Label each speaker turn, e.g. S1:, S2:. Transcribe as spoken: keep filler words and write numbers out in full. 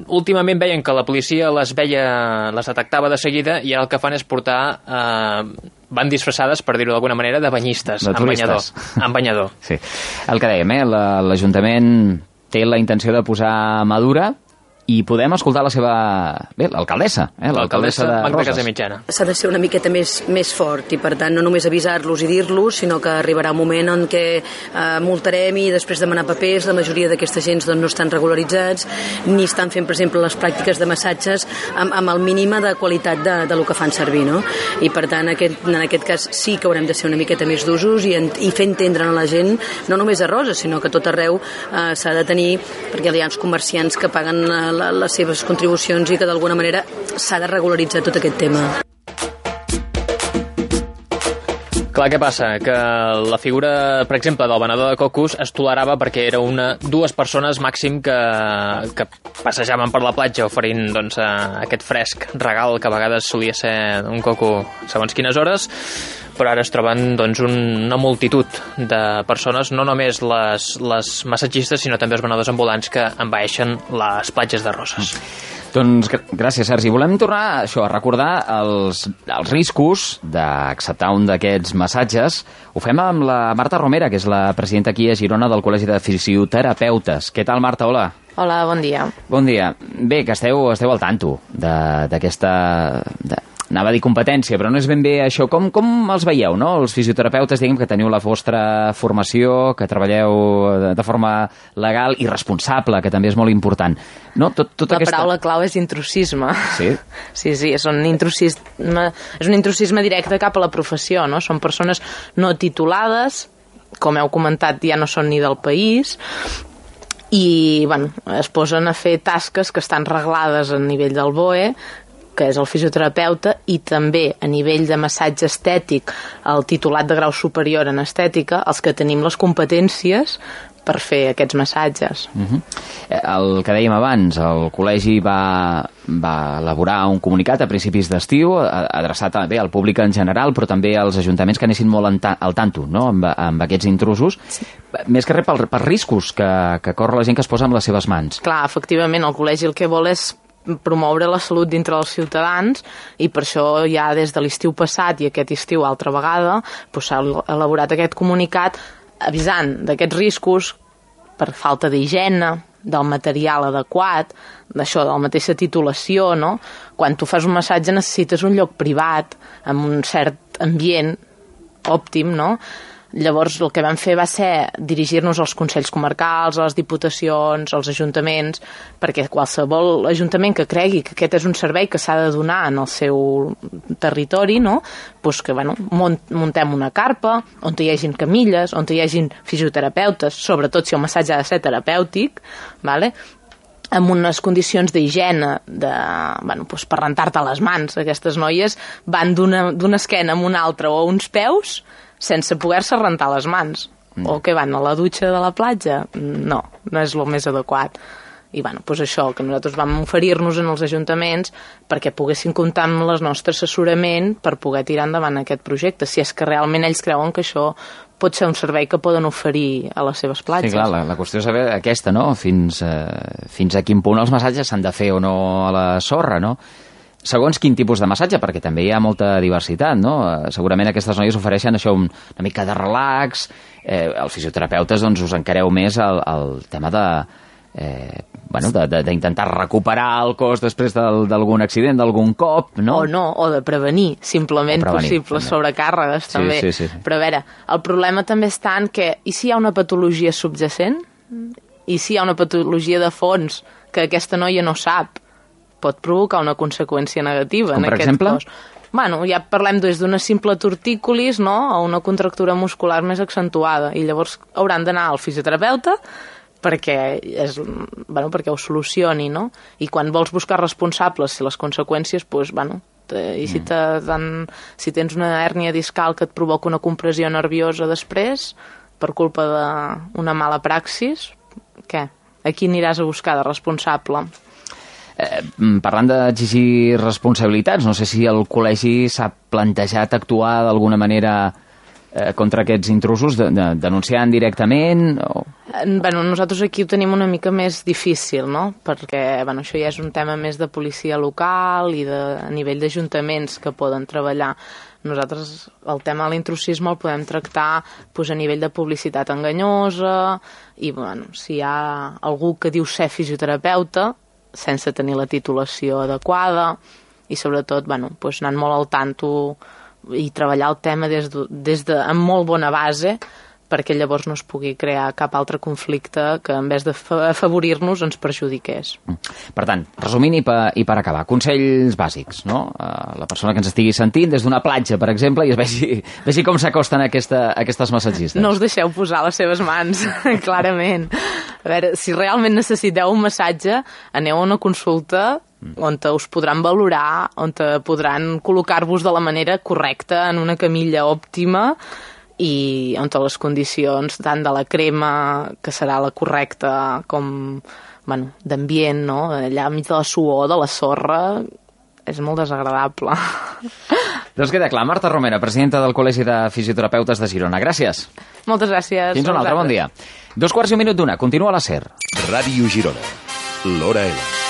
S1: últimament veien que la policia les veia, les detectava de seguida, i ara el que fan és portar, eh, van disfressades, per dir-ho d'alguna manera, de banyistes,
S2: de
S1: amb banyador. Amb banyador.
S2: Sí. El que dèiem, eh? l'Ajuntament té la intenció de posar mà dura, i podem escoltar la seva... Bé, l'alcaldessa, eh? l'alcaldessa de
S1: Magda
S2: Roses.
S1: Casamitjana.
S3: S'ha de ser una miqueta més, més fort, i per tant no només avisar-los i dir-los, sinó que arribarà un moment en què eh, multarem i després demanar papers. La majoria d'aquesta gent doncs, no estan regularitzats ni estan fent, per exemple, les pràctiques de massatges amb, amb el mínima de qualitat de, de lo que fan servir, no? I per tant aquest, en aquest cas sí que haurem de ser una miqueta més d'usos i, i fer entendre a la gent, no només a Roses, sinó que a tot arreu eh, s'ha de tenir, perquè hi ha els comerciants que paguen eh, les seves contribucions i que d'alguna manera s'ha de regularitzar tot aquest tema.
S1: Clar, què passa? Que la figura, per exemple, del venedor de cocos es tolerava perquè era una, dues persones màxim que, que passejaven per la platja oferint doncs, aquest fresc regal que a vegades solia ser un coco segons quines hores, però ara es troben doncs, una multitud de persones, no només les, les massatgistes, sinó també els venedors ambulants que envaeixen les platges de Roses.
S2: Doncs gràcies, Sergi. Volem tornar això, a recordar els, els riscos d'acceptar un d'aquests massatges. Ho fem amb la Marta Romera, que és la presidenta aquí a Girona del Col·legi de Fisioterapeutes. Què tal, Marta? Hola.
S4: Hola, bon dia.
S2: Bon dia. Bé, que esteu, esteu al tanto d'aquesta... Anava a dir competència, però no és ben bé això. Com, com els veieu, no? Els fisioterapeutes, diguem que teniu la vostra formació, que treballeu de, de forma legal i responsable, que també és molt important. No? Tot, tota
S4: la
S2: aquesta...
S4: paraula clau és intrusisme.
S2: Sí?
S4: Sí, sí, és un intrusisme, és un intrusisme directe cap a la professió, no? Són persones no titulades, com heu comentat, ja no són ni del país, i bueno, es posen a fer tasques que estan reglades a nivell del B O E, que és el fisioterapeuta, i també a nivell de massatge estètic, el titulat de grau superior en estètica, els que tenim les competències per fer aquests massatges.
S2: Uh-huh. El que dèiem abans, el col·legi va, va elaborar un comunicat a principis d'estiu adreçat bé al públic en general, però també als ajuntaments que anessin molt ta al tanto, no? amb, amb aquests intrusos, sí. Més que res per, per riscos que, que corre la gent que es posa amb les seves mans.
S4: Clar, efectivament, el col·legi el que vol és promoure la salut dintre dels ciutadans, i per això ja des de l'estiu passat i aquest estiu altra vegada s'ha elaborat aquest comunicat avisant d'aquests riscos per falta d'higiene, del material adequat, d'això, de la mateixa titulació, no? Quan tu fas un massatge necessites un lloc privat, amb un cert ambient òptim, no? Llavors el que vam fer va ser dirigir-nos als consells comarcals, a les diputacions, als ajuntaments, perquè qualsevol ajuntament que cregui que aquest és un servei que s'ha de donar en el seu territori, no? Pues que bueno, muntem una carpa on hi hagin camilles, on hi hagin fisioterapeutes, sobretot si el massatge ha de ser terapèutic, vale? Amb unes condicions d'higiene de, bueno, pues per rentar-te les mans. Aquestes noies van d'una esquena amb una altra o uns peus sense poder-se rentar les mans. Mm. O que van a la dutxa de la platja? No, no és el més adequat. I bueno, doncs això, que nosaltres vam oferir-nos en els ajuntaments perquè poguessin comptar amb el nostre assessorament per poder tirar endavant aquest projecte, si és que realment ells creuen que això pot ser un servei que poden oferir a les seves platges.
S2: Sí, clar, la, la qüestió és saber aquesta, no? Fins, eh, fins a quin punt els massatges s'han de fer o no a la sorra, no? Segons quin tipus de massatge, perquè també hi ha molta diversitat, no? Segurament aquestes noies ofereixen això, un, una mica de relax, eh, els fisioterapeutes doncs us encareu més al, al tema de... Eh, bueno, d'intentar recuperar el cos després d'algun accident, d'algun cop, no?
S4: O no, o de prevenir, simplement prevenir, possibles també. Sobrecàrregues,
S2: sí,
S4: també.
S2: Sí, sí, sí.
S4: Però a veure, el problema també està en que, i si hi ha una patologia subjacent? I si hi ha una patologia de fons que aquesta noia no sap? Pot provocar una conseqüència negativa.
S2: Com
S4: en
S2: per
S4: aquest
S2: exemple?
S4: cos. Bueno, ja parlem des d'una simple tortícolis, no?, a una contractura muscular més accentuada, i llavors hauran d'anar al fisioterapeuta perquè, és, bueno, perquè ho solucioni, no? I quan vols buscar responsables, si les conseqüències, doncs, bueno, i si, dan, si tens una hèrnia discal que et provoca una compressió nerviosa després, per culpa d'una mala praxis, què? A qui aniràs a buscar de responsable?
S2: Eh, parlant d'exigir responsabilitats, no sé si el col·legi s'ha plantejat actuar d'alguna manera eh, contra aquests intrusos, de, de, denunciant directament o...
S4: Bueno, nosaltres aquí ho tenim una mica més difícil, no? Perquè bueno, això ja és un tema més de policia local i de, a nivell d'ajuntaments que poden treballar. Nosaltres el tema de l'intrusisme el podem tractar doncs, a nivell de publicitat enganyosa i bueno, si hi ha algú que diu ser fisioterapeuta sense tenir la titulació adequada i sobretot bueno, doncs, anant molt al tanto i treballar el tema des de, des de, amb molt bona base perquè llavors no es pugui crear cap altre conflicte que en vez d'afavorir-nos ens perjudiqués.
S2: Per tant, resumint i per, i per acabar, consells bàsics, no? Uh, la persona que ens estigui sentint des d'una platja, per exemple, i es vegi, vegi com s'acosten aquesta, aquestes massatgistes.
S4: No us deixeu posar les seves mans, clarament. A veure, si realment necessiteu un massatge, aneu a una consulta on us podran valorar, on podran col·locar-vos de la manera correcta en una camilla òptima i on les condicions tant de la crema, que serà la correcta, com bueno, d'ambient, no? Allà enmig de la suor, de la sorra, és molt desagradable.
S2: Doncs queda clar. Marta Romera, presidenta del Col·legi de Fisioterapeutes de Girona. Gràcies.
S4: Moltes gràcies.
S2: Fins un altre, bon dia. Dos quarts i un minut d'una. Continua la SER.
S5: Ràdio Girona. L'Hora L.